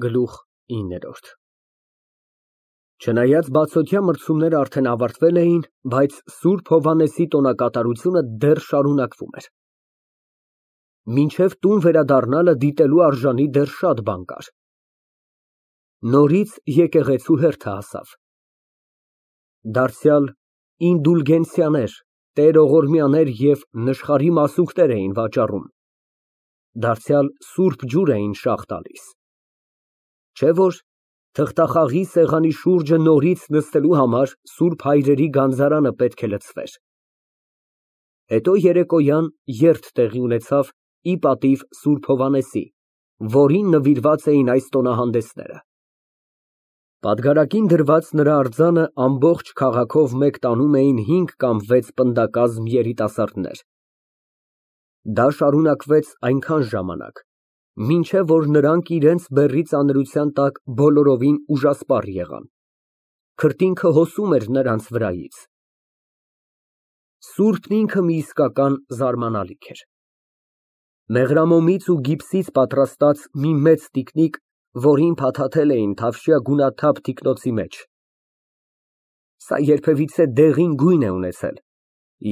Գլուխ 9 Չնայած բացօթյա մրցումները արդեն ավարտվել էին, բայց Սուրբ Հովհաննեսի տոնակատարությունը դեռ շարունակվում էր։ Մինչև տուն վերադառնալը դիտելու արժանի դեռ շատ բան կար։ Նորից եկեղեցու հերթը հասավ։ Դարձյալ ինդուլգենցիաներ, տերողորմյաներ և նշխարի մասունքներ էին վաճառում, դարձյալ սուրբ ջուր էին շաղ տալիս, չէ՞ որ թղթախաղի սեղանի շուրջը նորից նստելու համար Սուրբ Հայրերի գանձարանը պետք է լցվեր։ Հետո երեկոյան երթ տեղի ունեցավ ի պատիվ Սուրբ Հովհաննեսի, որին նվիրված էին այս տոնահանդեսները։ Պատգարակին դրված նրա արձանը ամբողջ քաղաքով մեկ տանում էին 5 կամ 6 պնդակազմ երիտասարդներ։ Դա շարունակվեց այնքան ժամանակ, մինչև որ նրանք իրենց բեռի ծանրության տակ բոլորովին ուժասպառ եղան, քրտինքը հոսում էր նրանց վրայից։ Սուրբն ինքը մի իսկական զարմանալիք էր։ Մեղրամոմից ու գիպսից պատրաստած մի մեծ տիկնիկ, որին փաթաթել էին թավշյա գունաթափ թիկնոցի մեջ։ Սա երբևիցե դեղին գույն է ունեցել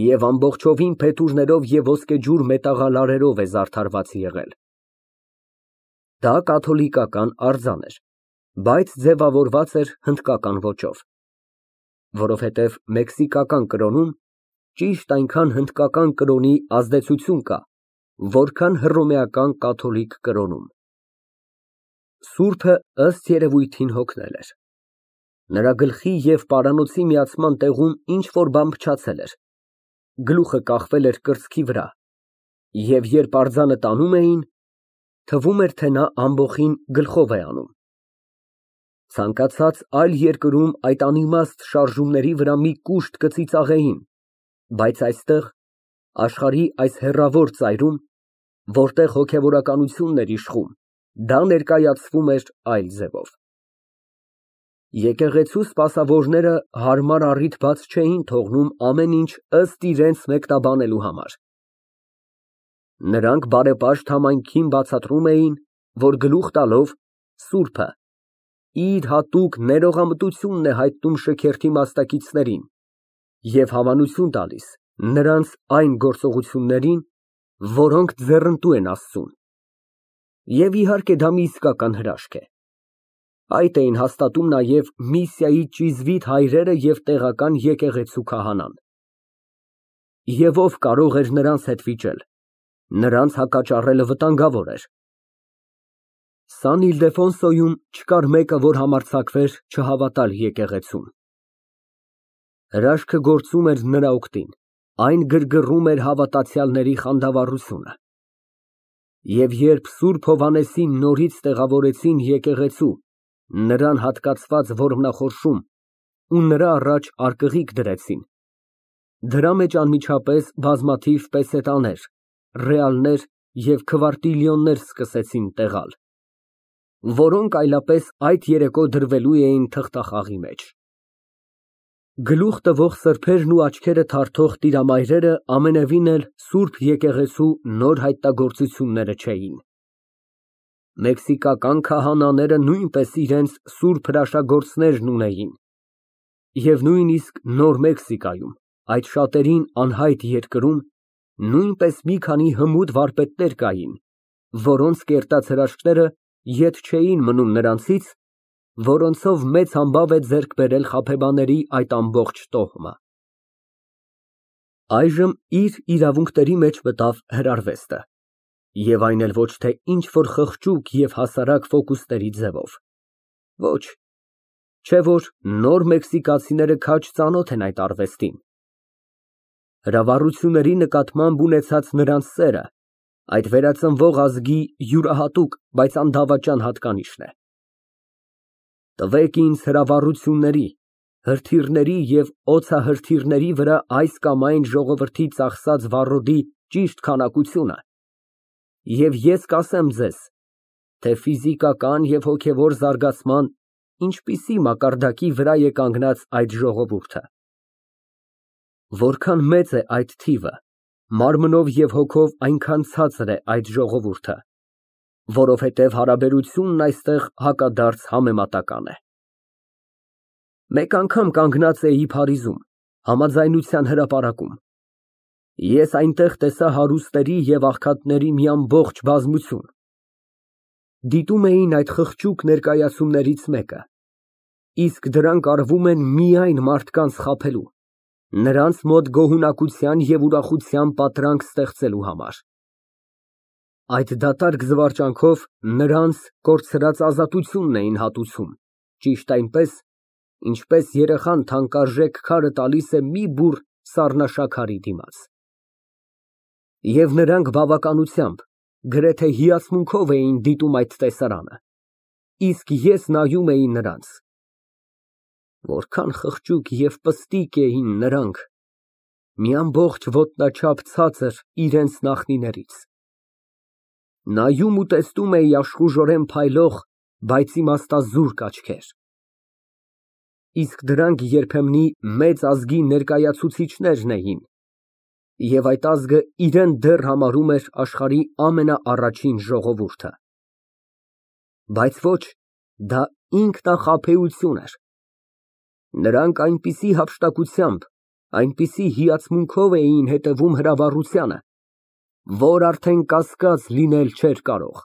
և ամբողջովին փետուրներով և ոսկեջուր մետաղալարերով է զարդարված եղել։ Դա կաթոլիկական արձան էր, բայց ձևավորված էր հնդկական ոճով, որովհետև մեքսիկական կրոնում ճիշտ այնքան հնդկական կրոնի ազդեցություն կա, որքան հռոմեական կաթոլիկ կրոնում։ Սուրբը ըստ երևույթին հոգնել էր։ Նրա գլխի և պարանոցի միացման տեղում ինչ֊որ բան փչացել էր, գլուխը կախվել էր կրծքի վրա, և երբ արձանը տանում էին, թվում էր, թե նա ամբոխին գլխով է անում։ Ցանկացած այլ երկրում այդ անիմաստ շարժումների վրա մի կուշտ կծիծաղեին, բայց այստեղ, աշխարհի այս հեռավոր ծայրում, որտեղ հոգևորականությունն էր իշխում, դա ներկայացվում էր այլ ձևով։ Եկեղեցու սպասավորները հարմար առիթ բաց չէին թողնում ամեն ինչ ըստ իրենց մեկնաբանելու համար։ Նրանք բարեպաշտ համայնքին բացատրում էին, որ գլուխ տալով Սուրբը իր հատուկ ներողամտությունն է հայտնում շքերթի մասնակիցներին և հավանություն տալիս նրանց այն գործողություններին, որոնք ձեռնտու են Աստծուն։ Եվ իհարկե դա մի իսկական հրաշք է։ Այդ էին հաստատում նաև Միսիայի ճիզվիտ հայրերը և տեղական եկեղեցու քահանան։ Եվ ով կարող էր նրանց հետ վիճել, նրանց հակաճառելը վտանգավոր էր։ Սան Իլդեֆոնսոյում չկար մեկը, որ համարձակվեր չհավատալ եկեղեցուն։ Հրաշքը գործում էր նրա օգտին, այն գրգռում էր հավատացյալների խանդավառությունը։ Եվ երբ Սուրբ Հովհաննեսին նորից տեղավորեցին եկեղեցու, նրան հատկացված ոռնախորշում ու նրա առաջ արկղիկ դրեցին, դրա մեջ անմիջապես բազմաթիվ պեսետաներ, ռեալներ և քվարտիլյոններ սկսեցին տեղալ, որոնք այլապես այդ երեկո դրվելու էին թղթախաղի մեջ։ Գլուխ տվող սրբերն ու աչքերը թարթող տիրամայրերը ամենևին էլ Սուրբ եկեղեցու նոր հայտնագործությունները չէին։ Մեքսիկական քահանաները նույնպես իրենց սուրբ հրաշագործներն ունեին, և նույնիսկ Նոր Մեքսիկայում, այդ շատերին անհայտ երկրում, նույնպես մի քանի հմուտ վարպետներ կային, որոնց կերտած հրաշքները ետ չէին մնում նրանցից, որոնցով մեծ համբավ է ձեռք բերել խաբեբաների այդ ամբողջ տոհմը։ Այժմ իր իրավունքների մեջ մտավ հրարվեստը, և այն էլ ոչ թե ինչ֊որ խղճուկ և հասարակ ֆոկուսների ձևով։ Ոչ, չէ որ նոր մեքսիկացիները քաջ ծանոթ են այդ արվեստին։ Հրավառությունների նկատմամբ ունեցած նրանց սերը այդ վերածնվող ազգի յուրահատուկ, բայց անդավաճան հատկանիշն է։ Տվեք ինձ հրավառությունների, հրթիռների և օդսահրթիռների վրա այս կամ այն ժողովրդի ծախսած վառոդի ճիշտ քանակությունը, և ես կասեմ ձեզ, թե ֆիզիկական և հոգևոր զարգացման ինչպիսի մակարդակի վրա է կանգնած այդ ժողովուրդը։ Որքան մեծ է այդ թիվը, մարմնով և հոգով այնքան ցածր է այդ ժողովուրդը, Որովհետև հարաբերությունն այստեղ հակադարձ համեմատական է։ Մեկ անգամ կանգնած էի Փարիզում, համաձայնության հրապարակում։ Ես այնտեղ տեսա հարուստների և աղքատների մի ամբողջ բազմություն։ Դիտում էին այդ խղճուկ ներկայացումներից մեկը, իսկ դրանք արվում են միայն մարդկանց խաբելու, նրանց մոտ գոհունակության և ուրախության պատրանք ստեղծելու համար։ Այդ դատարկ զվարճանքով նրանց կորցրած ազատությունն էին հատուցում, ճիշտ այնպես, ինչպես երեխան թանկարժեք քարը տալիս է մի բուռ սառնաշաքարի դիմաց։ Եվ նրանք բավականությամբ, գրեթե հիացմունքով էին դիտում այդ տեսարանը, իսկ ես նայում էի նրանց։ Որքան խղճուկ և պստիկ էին նրանք, մի ամբողջ ոտնաչափ ցածր իրենց նախնիներից։ Նայում ու տեսնում էի աշխուժորեն փայլող, բայց իմաստազուրկ աչքեր։ Իսկ դրանք երբեմնի մեծ ազգի ներկայացուցիչներն էին, և այդ ազգը իրեն դեռ համարում էր աշխարհի ամենաառաջին ժողովուրդը։ Բայց ոչ, դա ինքնախաբեություն էր։ Նրանք այնպիսի հափշտակությամբ, այնպիսի հիացմունքով էին հետևում հրավառությանը, որ արդեն կասկած լինել չէր կարող։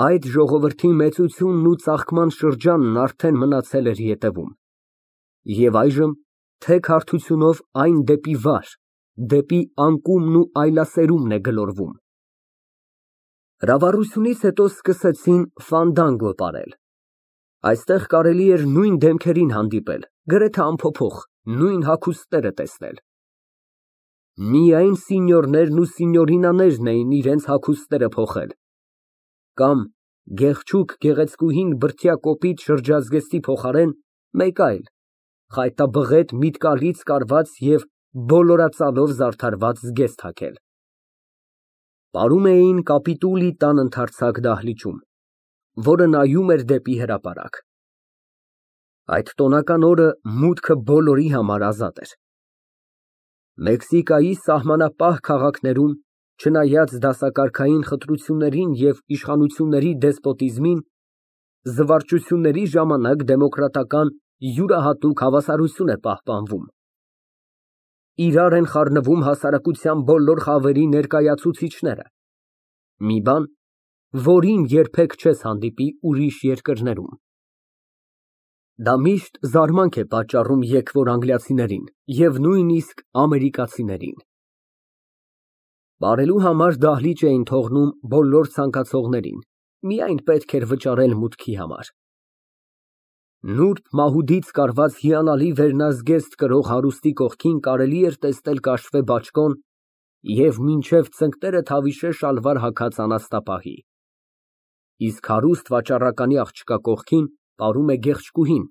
Այդ ժողովրդի մեծությունն ու ծաղկման շրջանն արդեն մնացել էր ետևում, և այժմ թեք հարթությունով այն դեպի վար, դեպի անկումն ու այլասերումն է գլորվում։ Հրավառությունից հետո սկսեցին ֆանդանգո պարել։ Այստեղ կարելի էր նույն դեմքերին հանդիպել, գրեթե անփոփոխ, նույն հագուստները տեսնել։ Միայն սինյորներն ու սինյորինաներն էին իրենց հագուստները փոխել, կամ գեղչուկ գեղեցկուհին բրդյա կոպիտ շրջազգեստի փոխարեն մեկ այլ, խայտաբղետ միտկալից կարված և բոլորածալով զարդարված զգեստ հագել։ Պարում էին կապիտուլի տան ընդարձակ դահլիճում, որը նայում էր դեպի հրապարակ։ Այդ տոնական օրը մուտքը բոլորի համար ազատ էր։ Մեքսիկայի սահմանապահ քաղաքներում, չնայած դասակարգային խտրություններին և իշխանությունների դեսպոտիզմին, զվարճությունների ժամանակ դեմոկրատական յուրահատուկ հավասարություն է պահպանվում։ Իրար են խառնվում հասարակության բոլոր խավերի ներկայացուցիչները, մի բան, որին երբեք չես հանդիպի ուրիշ երկրներում։ Դա միշտ զարմանք է պատճառում եկվոր անգլիացիներին և նույնիսկ ամերիկացիներին։ Բարելու համար դահլիճ էին թողնում բոլոր ցանկացողներին, միայն պետք էր վճարել մուտքի համար։ Նուրբ մահուդից կարված հիանալի վերնազգեստ կրող հարուստի կողքին կարելի էր տեսնել կաշվե բաճկոն և մինչև ծնկները թավիշե շալվար հագած անասնապահի, իսկ հարուստ վաճառականի աղջկա կողքին պարում է գեղեցկուհին,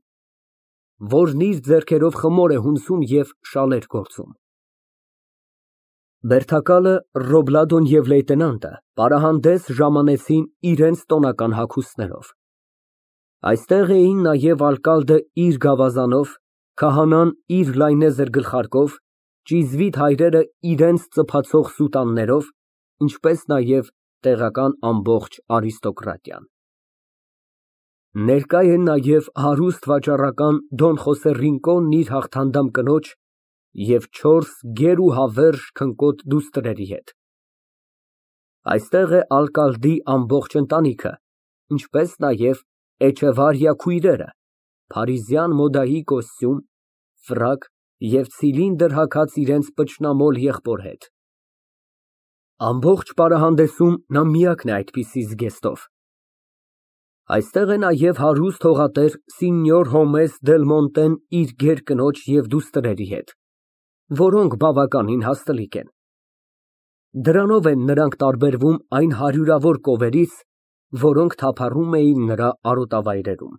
որն իր ձեռքերով խմոր է հունցում և շալեր գործում։ Բերդակալը, Ռոբլադոն և լեյտենանտը պարահանդես ժամանեցին իրենց տոնական հագուստներով։ Այստեղ էին նաև արկալդը իր գավազանով, քահանան իր լայնեզր գլխարկով, ճիզվիտ հայրերը իրենց ծփացող սուտաններով, ինչպես նաև տեղական ամբողջ արիստոկրատիան։ Ներկա է նաև հարուստ վաճառական Դոն Խոսե Ռինկոնն իր հաղթանդամ կնոջ և 4 գեր ու հավերժ քնկոտ դուստրերի հետ։ Այստեղ է արկալդի ամբողջ ընտանիքը, ինչպես նաև Էչեվարիա քույրերը, փարիզյան մոդայի կոստյում, ֆրակ և ցիլինդր հագած իրենց պճնամոլ եղբոր հետ։ Ամբողջ պարահանդեսում նա միակն է այդպիսի զգեստով։ Այստեղ է նաև հարուստ հողատեր Սինյոր Հոմես Դել Մոնտեն իր գեր կնոջ և դուստրերի հետ, որոնք բավականին հաստլիկ են։ Դրանով են նրանք տարբերվում այն հարյուրավոր կովերից, որոնք թափառում էին նրա արոտավայրերում։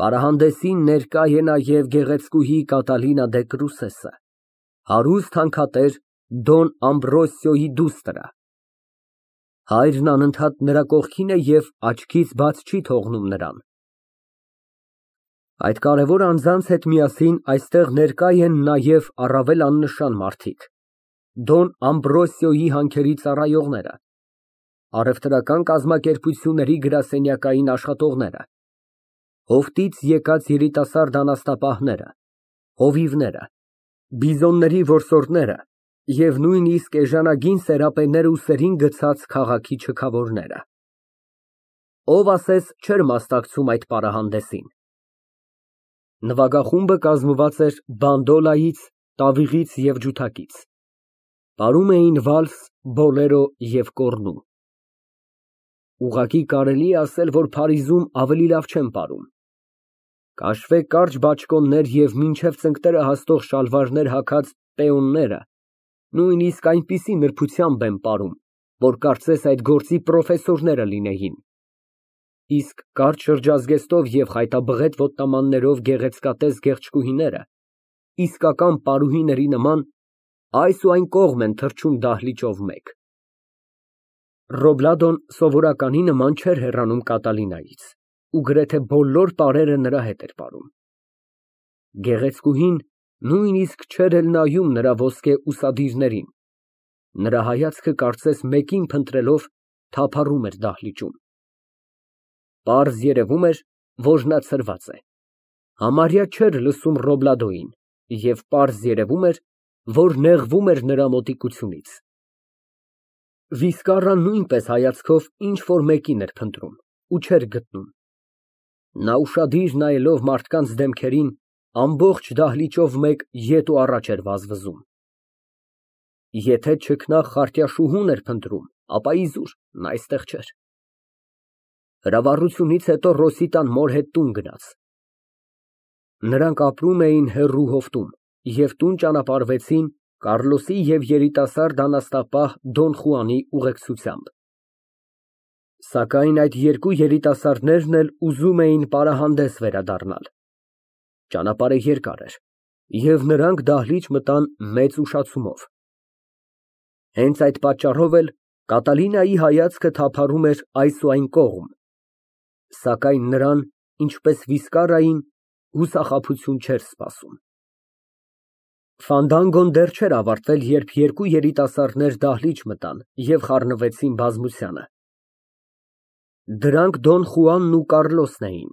Պարահանդեսին ներկա է նաև գեղեցկուհի Կատալինա դե Կրուսեսը, հարուստ հանքատեր Դոն Ամբրոսիոյի դուստրը։ Հայրն անընդհատ նրա կողքին է և աչքից բաց չի թողնում նրան։ Այդ կարևոր անձանց հետ միասին այստեղ ներկա են նաև առավել աննշան մարդիկ, Դոն Ամբրոսիոյի հանքերի ծառայողները, առևտրական կազմակերպությունների գրասենյակային աշխատողները, հովտից եկած երիտասարդ անասնապահները, հովիվները, բիզոնների որսորդները և նույնիսկ էժանագին սերապեները ու սերին գցած քաղաքի չքավորները։ Ով ասես չէր մասնակցում այդ պարահանդեսին։ Նվագախումբը կազմված էր բանդոլայից, տավիղից և ջութակից։ Պարում էին վալս, բոլերո և կոռնու։ Ուղղակի կարելի է ասել, որ Փարիզում ավելի լավ չեն պարում։ Կաշվե կարճ բաճկոններ և մինչև ծնկները հասնող շալվարներ հագած պեոնները նույնիսկ այնպիսի նրբությամբ են պարում, որ կարծես այդ գործի պրոֆեսորները լինեին։ Իսկ կարճ շրջազգեստով և խայտաբղետ ոտնամաններով գեղեցկատես գեղչկուհիները, իսկական պարուհիների նման, այս ու այն կողմ են թռչում դահլիճով մեկ։ Ռոբլադոն սովորականի նման չէր հեռանում Կատալինայից ու գրեթե բոլոր պարերը նրա հետ էր պարում։ Գեղեցկուհին նույնիսկ չէր էլ նայում նրա ոսկե ուսադիրներին, նրա հայացքը կարծես մեկին փնտրելով թափառում էր դահլիճում։ Պարզ երևում էր, որ նա ցրված է, համարյա չէր լսում Ռոբլադոյին և պարզ երևում էր, որ նեղվում էր նրա մոտիկությունից։ Վիսկարան նույնպես հայացքով ինչ֊որ մեկին էր փնտրում ու չէր գտնում։ Նա ուշադիր նայելով մարդկանց դեմքերին, ամբողջ դահլիճով մեկ ետ ու առաջ էր վազվզում։ Եթե չքնաղ խարտյաշուհուն էր փնտրում, ապա իզուր, նա այստեղ չէր։ Հրավառությունից հետո Ռոսիտան մոր հետ տուն գնաց։ Նրանք ապրում էին հեռու հովտում և տուն ճանապարհվեցին Կառլոսի և երիտասարդ անասնապահ Դոն Խուանի ուղեկցությամբ։ Սակայն այդ երկու երիտասարդներն էլ ուզում էին պարահանդես վերադառնալ։ Ճանապարհը երկար էր, և նրանք դահլիճ մտան մեծ ուշացումով։ Հենց այդ պատճառով էլ Կատալինայի հայացքը թափառում էր այս ու այն կողմ, սակայն նրան, ինչպես Վիսկարային, հուսախաբություն չէր սպասում։ Ֆանդանգոն դեռ չէր ավարտվել, երբ երկու երիտասարդներ դահլիճ մտան և խառնվեցին բազմությանը։ Դրանք Դոն Խուանն ու Կառլոսն էին։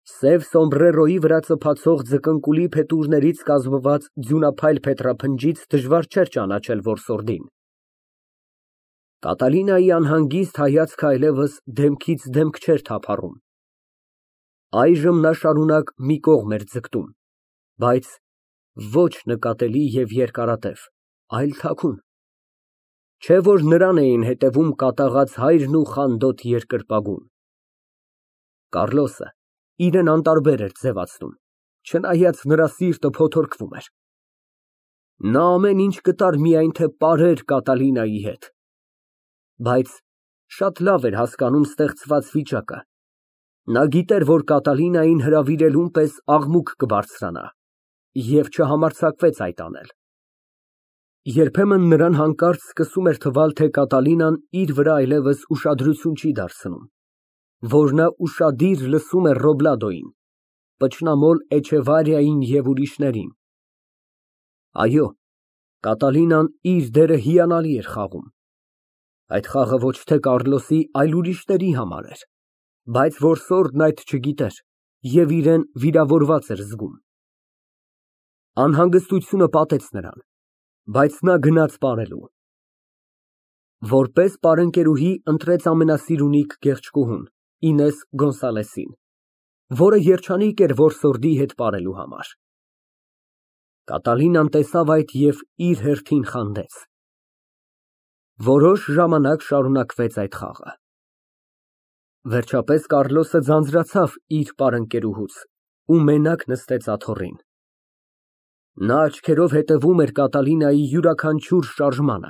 Սև սոմբրերոյի վրա ծփացող ձկնկուլի փետուրներից կազմված ձյունափայլ փետրափնջից դժվար չէր ճանաչել որսորդին։ Կատալինայի անհանգիստ հայացքը այլևս դեմքից դեմք չէր թափառում։ Այժմ նա շարունակ մի կողմ էր ձգտում, բայց ոչ նկատելի և երկարատև, այլ թաքուն։ Չէ՞ որ նրան էին հետևում կատաղած հայրն ու խանդոտ երկրպագուն։ Կառլոսը իրեն անտարբեր էր ձևացնում, չնայած նրա սիրտը փոթորկվում էր։ Նա ամեն ինչ կտար, միայն թե պարեր Կատալինայի հետ։ Բայց շատ լավ էր հասկանում ստեղծված վիճակը։ Նա գիտեր, որ Կատալինային հրավիրելուն պես աղմուկ կբարձրանա և չհամարձակվեց այդ անել։ Երբեմն նրան հանկարծ սկսում էր թվալ, թե Կատալինան իր վրա այլևս ուշադրություն չի դարձնում, որ նա ուշադիր լսում է Ռոբլադոյին, պճնամոլ Էչեվարիային և ուրիշներին։ Այո, Կատալինան իր դերը հիանալի էր խաղում։ Այդ խաղը ոչ թե Կառլոսի, այլ ուրիշների համար էր, բայց որսորդն այդ չգիտեր և իրեն վիրավորված էր զգում։ Անհանգստությունը պատեց նրան, բայց նա գնաց պարելու։ Որպես պարընկերուհի ընտրեց ամենասիրունիկ գեղչկուհուն՝ Ինես Գոնսալեսին, որը երջանիկ էր որսորդի հետ պարելու համար։ Կատալինան տեսավ այդ և իր հերթին խանդեց։ Որոշ ժամանակ շարունակվեց այդ խաղը։ Վերջապես Կառլոսը ձանձրացավ իր պարընկերուհուց ու մենակ նստեց աթոռին։ Նա աչքերով հետևում էր Կատալինայի յուրաքանչյուր շարժմանը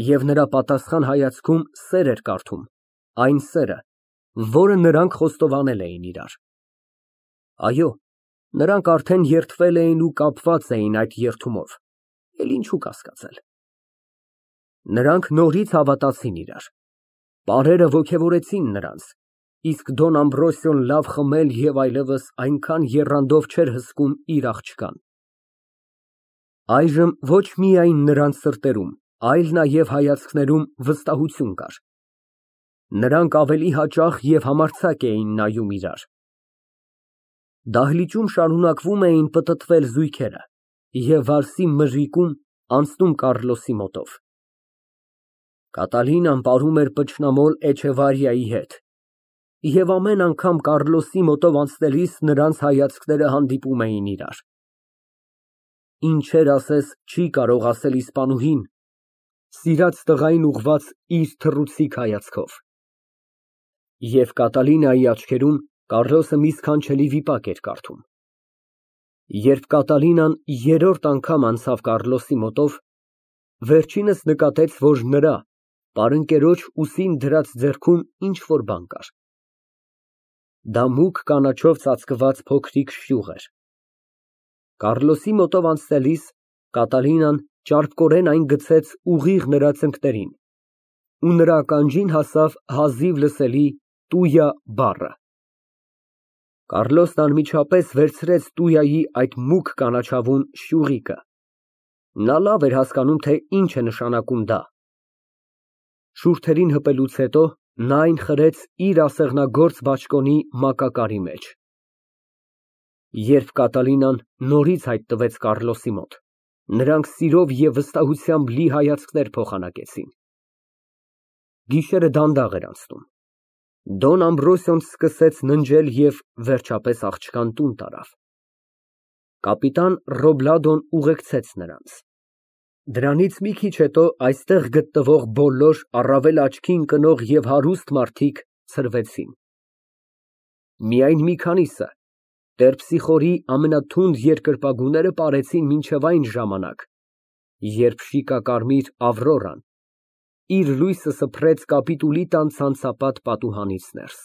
և նրա պատասխան հայացքում սեր էր կարդում, այն սերը, որը նրանք խոստովանել էին իրար։ Այո, նրանք արդեն երդվել էին ու կապված էին այդ երդումով, էլ ինչու կասկածել։ Նրանք նորից հավատացին իրար։ Պարերը ոգևորեցին նրանց, իսկ Դոն Ամբրոսիոն լավ խմել և այլևս այնքան եռանդով չէր հսկում իր աղջկան։ Այժմ ոչ միայն նրանց սրտերում, այլ նաև հայացքներում վստահություն կար, Նրանք ավելի հաճախ և համարձակ էին նայում իրար։ Դահլիճում շարունակվում էին պտտվել զույգերը և վալսի մրրիկում անցնում Կառլոսի մոտով։ Կատալինան պարում էր պճնամոլ Էչեվարիայի հետ, և ամեն անգամ Կառլոսի մոտով անցնելիս նրանց հայացքները հանդիպում էին իրար։ Ինչեր ասես չի կարող ասել իսպանուհին, սիրած տղային ուղղված իր թռուցիկ հայացքով։ Եվ Կատալինայի աչքերում Կառլոսը մի սքանչելի վիպակ էր կարդում։ Երբ Կատալինան երրորդ անգամ անցավ Կառլոսի մոտով, վերջինս նկատեց, որ նրա պարընկերոջ ուսին դրած ձեռքում ինչ֊որ բան կար։ Դա մուգ կանաչով ծածկված փոքրիկ շյուղ էր։ Կառլոսի մոտով անցնելիս Կատալինան ճարպկորեն այն գցեց ուղիղ նրա ծնկներին, ու նրա ականջին հասավ հազիվ լսելի տույա բառը։ Կառլոսն անմիջապես վերցրեց տույայի այդ մուգ կանաչավուն շյուղիկը։ Նա լավ էր հասկանում, թե ինչ է նշանակում դա։ Շուրթերին հպելուց հետո նա այն խրեց իր ասեղնագործ բաճկոնի մակակարի մեջ։ Երբ Կատալինան նորից հայտնվեց Կառլոսի մոտ, նրանք սիրով և վստահությամբ լի հայացքներ փոխանակեցին։ Գիշերը դանդաղ էր անցնում։ Դոն Ամբրոսիոն սկսեց ննջել և վերջապես աղջկան տուն տարավ։ Կապիտան Ռոբլադոն ուղեկցեց նրանց։ Դրանից մի քիչ հետո այստեղ գտնվող բոլոր առավել աչքի ընկնող և հարուստ մարդիկ ցրվեցին։ Միայն մի քանիսը, Տերպսիխորի ամենաթունդ երկրպագուները պարեցին մինչև այն ժամանակ, երբ շիկակարմիր Ավրորան իր լույսը սփռեց կապիտուլի տան ցանցապատ պատուհանից ներս։